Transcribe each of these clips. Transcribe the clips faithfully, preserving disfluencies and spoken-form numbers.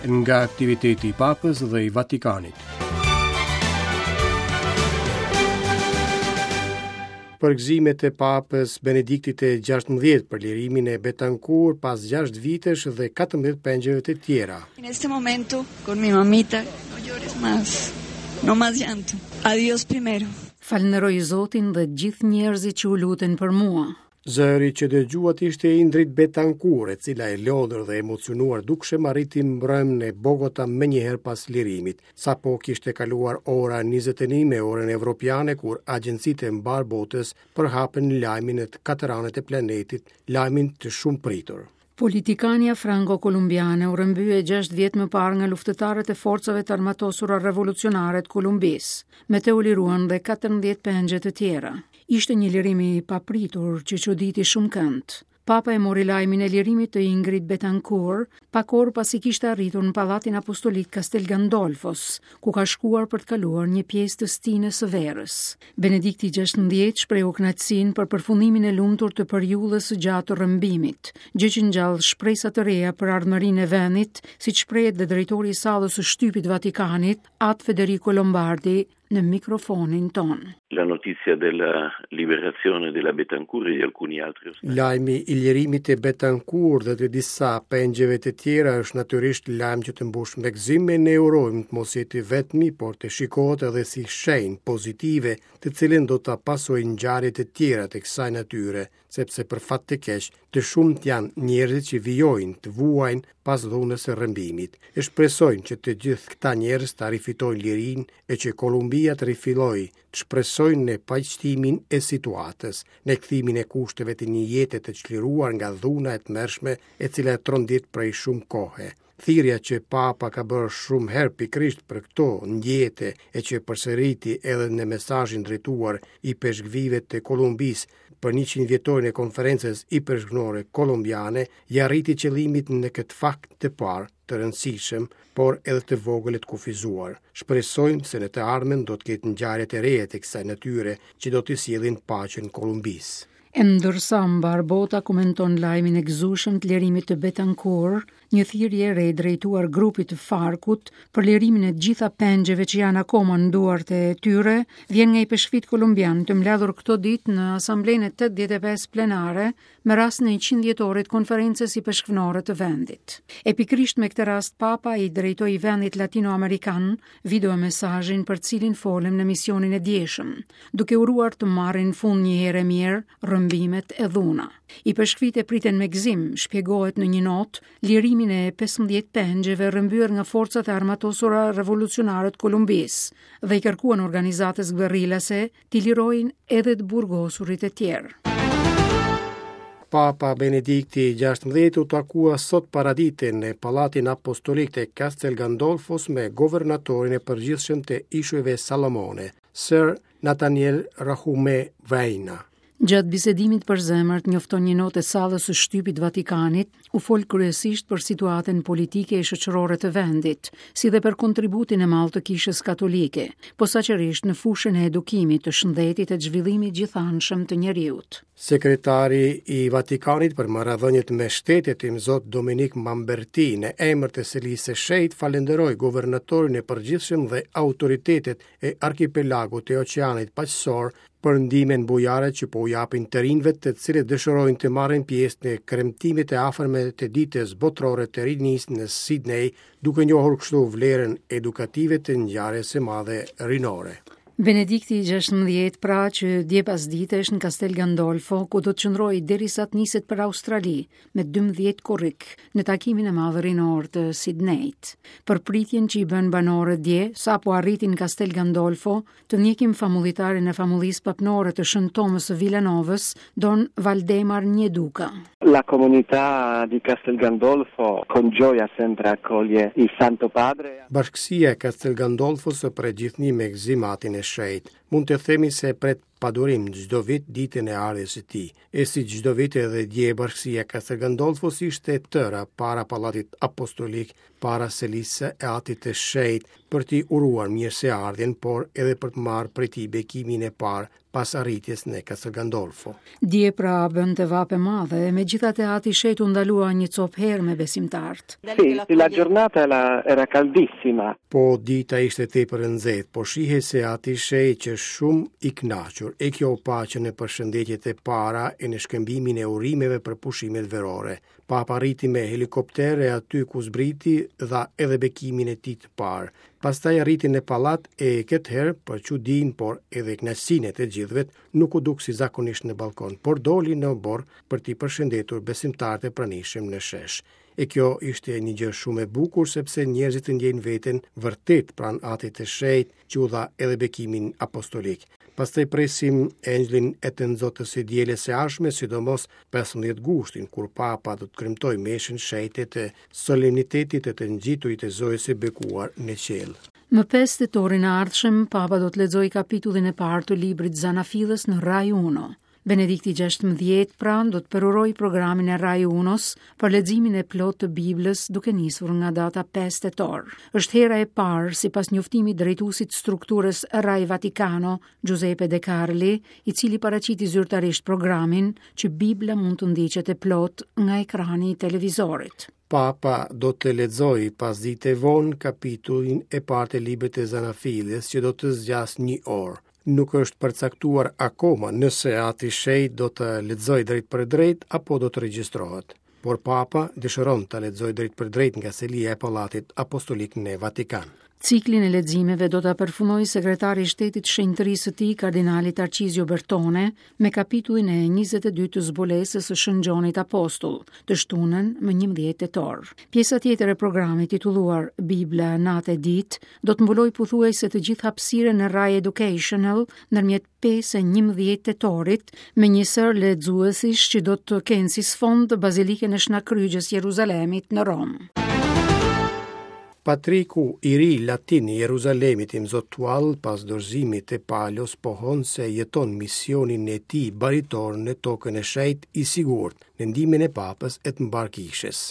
Nga aktiviteti i Papës dhe i Vatikanit. Përgëzimet e Papës Benediktit të gjashtëmbëdhjetë për lirimin e Betancourt pas gjashtë vitesh dhe katërmbëdhjetë pengjeve të tjera. En este momento con mi mamita, no llores más, no más llanto. Adiós primero. Falënderoj Zotin dhe gjithë njerëzit që u luten për mua. Zëri që dëgjuat ishte Ingrid Betancourt, e cila e lodhur dhe emocionuar dukshëm arriti mbrëmë në Bogota menjëherë pas lirimit. Sapo kishte kaluar ora njëzet e një me orën evropiane kur agjencitë e mbar botës përhapën lajmin në të katër anët e planetit, lajmin të shumë pritur. Politikania franko-kolumbiane u rrëmbye gjashtë vjet më parë nga luftëtarët e forcave të armatosura revolucionare të Kolumbisë. Me të u liruan dhe katërmbëdhjetë pengje të tjera. Ishte një lirim i papritur që çuditi shumë kënd. Papa e mori lajmin e lirimit të Ingrid Betancourt pak orë pasi kishte arritur në Pallatin Apostolik Castel Gandolfos, ku ka shkuar për të kaluar një pjesë të stinës së verës. Benedikti gjashtëmbëdhjetë shprehu kënaqësinë për përfundimin e lumtur të periudhës së gjatë të rrëmbimit, gjë që ngjall shpresa të reja për ardhmërinë e vendit, siç shprehet dhe drejtori i sallës së shtypit Vatikanit, At Federico Lombardi, në mikrofonin ton. La notizia della liberazione della Betancourt e di alcuni altri ostaggi. Lajmi i lirimit të Betancourt dhe të disa pengjeve të tjera është natyrisht lajm që të mbush me gëzim e ne urojmë të mos jetë i vetmi, por të shikohet edhe si shenjë pozitive, të cilën do ta pasojnë ngjarje të tjera të kësaj natyre, sepse për fat të keq, të shumtë janë njerëzit që vijojnë të vuajnë pas dhunës së rrëmbimit. E shpresojmë që të gjithë këta njerëz ta rifitojnë lirinë e që Kolumbia të rifillojë të shpresojnë në paqtimin e situatës, në kthimin e kushteve të një jete të çliruar nga dhuna e tmerrshme e cila e trondit prej shumë kohe. Thirrja që Papa ka bërë shumë herë pikërisht për këto ndjete e që përsëriti edhe në mesazhin drejtuar i peshkvive të Kolumbisë për njëqind vjetorin e konferencës ipeshkvnore kolumbiane, ja arriti qëllimit në këtë fakt të parë të rëndësishëm, por edhe të vogël e të kufizuar. Shpresojmë se në të ardhmen do të ketë ngjarje të reja të kësaj natyre që do t'i sjellin paqen Kolumbisë. E ndërsa mbar bota komenton lajmin e gëzueshëm të lirimit të Betancourt, një thirrje e re drejtuar grupit të Farkut për lirimin e të gjitha pengjeve që janë akoma në duart e tyre, vjen nga i peshkvit kolumbian të mbledhur këto ditë në Asamblenë e tetëdhjetë e pesë plenare me rastin e njëqind vjetorit konferencës i peshkvnore të vendit. E pikërisht me këtë rast Papa i drejtoi vendit latinoamerikan video mesazhin për cilin folëm në misionin e djeshëm, duke uruar të marrin fund një herë e mirë rrëmbimet e dhuna. I peshkvit e priten me gëzim, shpjegohet në një notë, lirimin e pesëmbëdhjetë pengjeve rrëmbyer nga forcat e armatosura revolucionare të Kolumbisë dhe i kërkuan organizatës guerrilase t'i lirojnë edhe të burgosurit e tjerë. Papa Benedikti i gjashtëmbëdhjetë u takua sot paradite në Pallatin Apostolik të Castel Gandolfos me governatorin e përgjithshëm të Ishujve Salomone, Sir Nathaniel Rahume Vajna. Gjatë bisedimit për zemër, njofton një notë e sallës së shtypit Vatikanit, u fol kryesisht për situatën politike e shoqërore të vendit, si dhe për kontributin e madh të Kishës Katolike, posaçërisht në fushën e edukimit, të shëndetit e të zhvillimit gjithanshëm të njeriut. Sekretari i Vatikanit për marrëdhëniet me shtetet, Imzot Dominik Mamberti, në emër të Selisë së Shenjtë, falenderoi guvernatorin e përgjithshëm dhe autoritetet e arkipelagut të Oqeanit Paqësor për ndihmën bujare që po u japin të rinjve të cilët dëshirojnë të marrin pjesë në kremtimet e afërme të ditës botërore të rinisë në Sydney, duke njohur kështu vlerën edukative të ngjarjes së madhe rinore. Benedikti i gjashtëmbëdhjetë, pra që dje pas dite është në Castel Gandolfo, ku do të qëndrojë derisa të niset për Australi me dymbëdhjetë korrik në takimin e madh rinor të Sydneyt. Për pritjen që i bën banorët dje, sapo arritin Castel Gandolfo, të ndjekim famullitarin e famullisë papnore të Shën Tomës së Villanovës, Don Valdemar Njeduka. La comunità di Castel Gandolfo con gioia sempre accoglie il Santo Padre. Bashkësia e Castel Gandolfos e pret gjithnjë me gëzim atin e shenjtë. Mund të themi se pret padurim çdo vit ditën e ardhjes së tij. E si çdo vit edhe dje bashkësia Castel Gandolfos ishte e tëra para Pallatit Apostolik, para selisë e Atit të Shenjtë, për t'i uruar mirëseardhjen, por edhe për të marrë prej tij bekimin e parë pas arritjes në Castel Gandolfo. Dje pra bënte vapë e madhe, e megjithatë Ati i Shenjtë u ndalua një copë herë me besimtarët. Sì, sì, la giornata era, era caldissima. Po dita ishte tepër e nxehtë, po shihej se Ati i Shenjtë qe shumë i kënaqur, e kjo u pa që në përshëndetjet e para e në shkëmbimin e urimeve për pushimet verore. Papa arriti me helikopter e aty ku zbriti dha edhe bekimin e tij të parë. Pastaj arriti në pallat e këtë herë për çudinë, por edhe kënaqësinë e të gjithëve, nuk u duk si zakonisht në balkon, por doli në oborr për t'i përshëndetur besimtarët e pranishëm në shesh. E kjo ishte një gjë shumë e bukur sepse njerëzit ndjejnë veten vërtet pranë Atit të Shenjtë që u dha edhe bekimin apostolik. Pastaj presim engjëllin e të nxohtës së dielës së ardhshme, sidomos pesëmbëdhjetë gushtin, kur Papa do të kremtojë meshën shenjte të solemnitetit të të ngjiturit të Zojës së Bekuar në qiell. Më pesë tetorin e ardhshëm, Papa do të lexojë kapitullin e parë të librit Zanafillës në Rai Uno. Benedikti gjashtëmbëdhjetë pra do të përurojë programin e Rai Unos për leximin e plotë të Biblës duke nisur nga data pesë tetor. Është hera e parë, sipas njoftimit drejtuesit strukturës Rai Vaticano, Giuseppe De Carli, i cili paraqiti zyrtarisht programin që Bibla mund të ndiqet e plotë nga ekrani i televizorit. Papa do të lexojë pas dite vonë kapitullin e parë të librit të Zanafillës që do të zgjasë një orë. Nuk është përcaktuar akoma nëse Ati i Shenjtë do të lexojë drejt për drejt apo do të regjistrohet. Por Papa dëshiron ta lexojë drejt për drejt nga selia e Pallatit Apostolik në Vatikan. Ciklin e leximeve do ta përfundojë sekretari i shtetit shenjtërisë së tij, kardinali Tarcizio Bertone, me kapitullin e njëzet e dy të zbulesës së Shën Gjonit Apostull, të shtunën më njëmbëdhjetë tetor. Pjesa tjetër e programit titulluar Bibla natë e ditë do të mbulojë pothuajse të gjithë hapësirën e Rai Educational ndërmjet pesë e njëmbëdhjetë tetorit me një sër lexuesish që do të kenë si sfond Bazilikën e Shnakrygjës Jeruzalemit në Romë. Patriku i ri latin i Jeruzalemit Imzot Tual pas dorëzimit të Palos pohon se jeton misionin e tij baritor në tokën e shenjtë i sigurt, në ndihmën e Papës e të mbar kishës.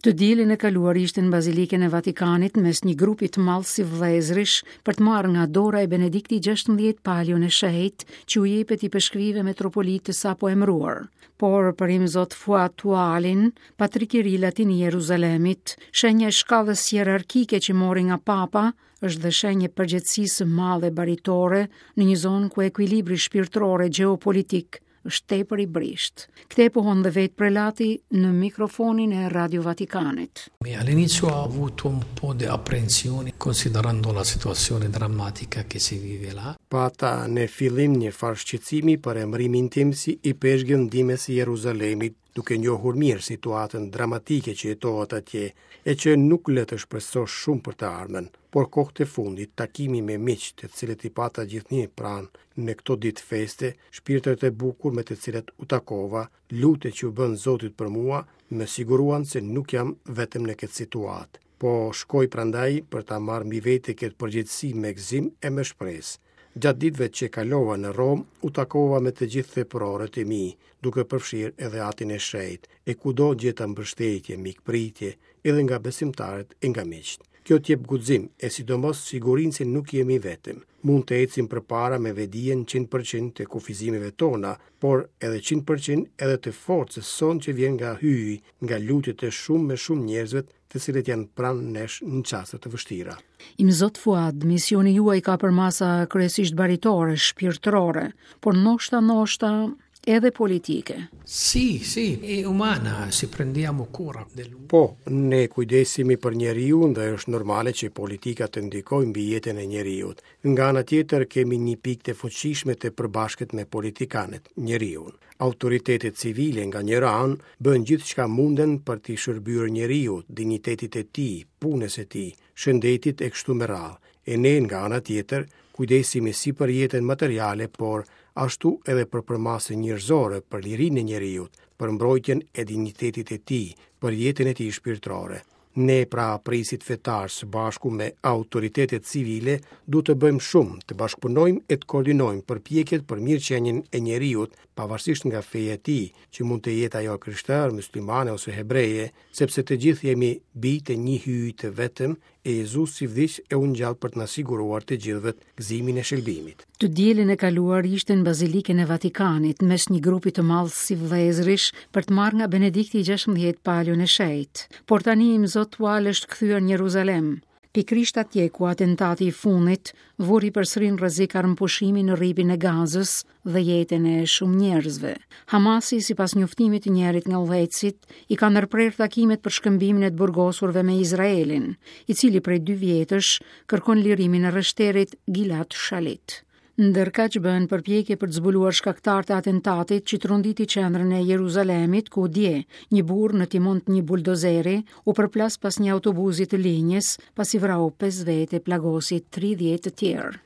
Të dielën e kaluar ishte në Bazilikën e Vatikanit mes një grupi të madh si vëllezërish për të marrë nga dora e Benedikti gjashtëmbëdhjetë palion e shenjtë që u jepet i peshkvive metropolit të sapo emëruar. Por për Imzot Fuat Tualin, patrik i ri latin i Jeruzalemit, shenja e shkallës hierarkike që mori nga Papa është dhe shenjë e përgjegjësisë së madhe baritore në një zonë ku ekuilibri shpirtëror e gjeopolitik është tepër i brisht. Këtë e pohon dhe vetë prelati në mikrofonin e Radio Vatikanit. All'inizio ho avuto un po' di apprensione considerando la situazione drammatica che si vive là. Pata në fillim një farë shqetësimi për emërimin tim si i peshkëv ndihmës i Jeruzalemit, duke njohur mirë situatën dramatike që jetohet atje, e që nuk lë të shpresosh shumë për të ardhmen. Por kohët e fundit, takimi me miq, të cilët i pata gjithnjë pranë në këto ditë feste, shpirtrat e bukur me të cilët u takova, lutjet që u bën Zotit për mua, më siguruan se nuk jam vetëm në këtë situatë. Po shkoj prandaj për ta marrë mbi vete këtë përgjegjësi me gëzim e me shpresë. Gjatë ditëve që kalova në Romë, u takova me të gjithë theprorët e mi, duke përfshirë edhe Atin e Shenjtë, e kudo gjeta mbështetje, mikpritje, edhe nga besimtarët e nga miqtë. Kjo t'jep guxim e sidomos sigurinë se nuk jemi vetëm. Mund të ecim përpara me vedijen qind për qind të kufizimeve tona, por edhe qind për qind edhe të forcës sonë që vjen nga hyji, nga lutjet e shumë me shumë njerëzve të cilët janë pranë nesh në çaste të vështira. Imzot Fuad, misioni juaj ka përmasa kryesisht baritore, shpirtërore, por ndoshta, ndoshta edhe politike. Sì, sì, è umana, si prendiamo cura dell'uomo. Po, ne kujdesemi për njeriun dhe është normale që politika të ndikojë mbi jetën e njeriut. Nga ana tjetër kemi një pikë të fuqishme të përbashkët me politikanët, njeriun. Autoritetet civile nga njëra anë bëjnë gjithçka munden për t'i shërbyer njeriut, dinjitetit e tij, punës së tij, shëndetit e kështu me radhë. E ne nga ana tjetër kujdesemi si për jetën materiale, por ashtu edhe për përmasën njerëzore, për lirinë e njeriut, për mbrojtjen e dinjitetit e tij, për jetën e tij shpirtërore. Ne pra prijësit fetarë së bashku me autoritetet civile duhet të bëjmë shumë, të bashkëpunojmë e të koordinojmë përpjekjet për mirëqenien e njeriut, pavarësisht nga feja e tij, që mund të jetë ajo krishterë, muslimane ose hebreje, sepse të gjithë jemi bijtë e një Hyji të vetëm, e Jezusi vdiq e u ngjall për të na siguruar të gjithëve gëzimin e shëlbimit. Të dielën e kaluar ishte në Bazilikën e Vatikanit mes një grupi të madh sivëllezërish për të marrë nga Benedikti i gjashtëmbëdhjetë paljon e shenjtë. Por tani Imzot Twal është kthyer në Jeruzalem, pikërisht atje ku atentati i fundit vuri përsëri në rrezik armëpushimin në rripin e Gazës dhe jetën e shumë njerëzve. Hamasi, sipas njoftimit të njërit nga udhëheqësit, i ka ndërprerë takimet për shkëmbimin e të burgosurve me Izraelin, i cili prej dy vjetësh kërkon lirimin e rreshterit Gilad Shalit. Ndërkaq bëhen përpjekje për të zbuluar shkaktarët e atentatit që tronditi qendrën e Jeruzalemit, ku dje një burrë në timon të një buldozeri u përplas pas një autobusi të linjës, pasi vrau pesë vete e plagosi tridhjetë të tjerë.